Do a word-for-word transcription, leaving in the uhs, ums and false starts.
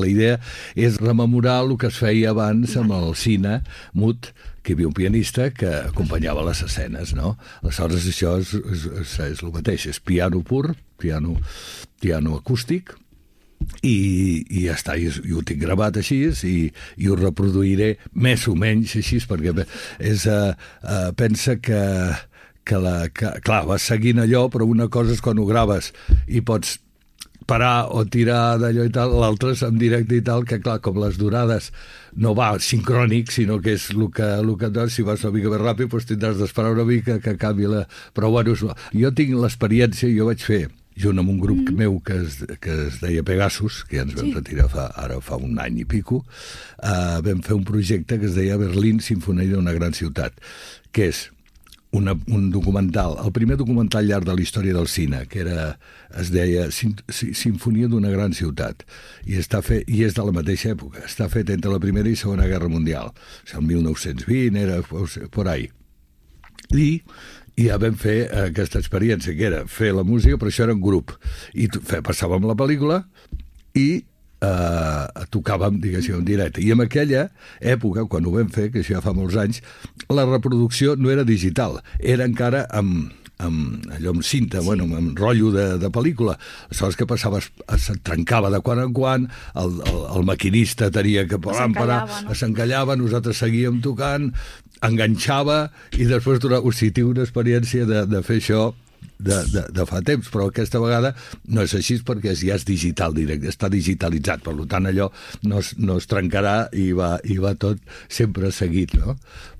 La idea és rememorar el que es feia abans amb el cine mut, que hi havia un pianista que acompanyava les escenes, no? Aleshores, això és, és, és, és el mateix, és piano pur, piano, piano acústic, i, i ja està, i, i ho tinc gravat així, i, i ho reproduiré més o menys així, perquè és, uh, uh, pensa que, que, la, que, clar, vas seguint allò, però una cosa és quan ho graves i pots parar o tirar d'allò i tal, l'altre és en directe i tal, que clar, com les durades no va sincrònic, sinó que és el que, el que doncs, si vas una mica més ràpid, doncs tindràs d'esperar una mica que canvi la... Però bueno, jo tinc l'experiència, jo vaig fer, junt amb un grup mm. meu que es, que es deia Pegasus, que ja ens vam sí. retirar fa, ara fa un any i pico, uh, vam fer un projecte que es deia Berlín, Sinfonia d'una gran ciutat, que és Una, un documental, el primer documental llarg de la història del cine, que era, es deia Sinfonia d'una gran ciutat, i, està fet, i és de la mateixa època, està fet entre la Primera i Segona Guerra Mundial, o sigui, el mil nou-cents vint, era por ahí. I, i ja vam fer aquesta experiència, que era fer la música, però això era un grup, i passàvem la pel·lícula, i Uh, tocàvem, diguéssim, en directe. I en aquella època, quan ho vam fer, que això ja fa molts anys, la reproducció no era digital, era encara amb, amb allò amb cinta, sí. bueno, amb rotllo de, de pel·lícula. Aleshores, què passava? Es, es trencava de quan en quan, el, el, el maquinista tenia que parar, parar, no? S'encallava, nosaltres seguíem tocant, enganxava, i després, o sigui, tinc una experiència de, de fer això De, de, de fa temps, però aquesta vegada no és així perquè ja és digital directe, està digitalitzat, per tant allò no es, no es trencarà i va, i va tot sempre seguit, no?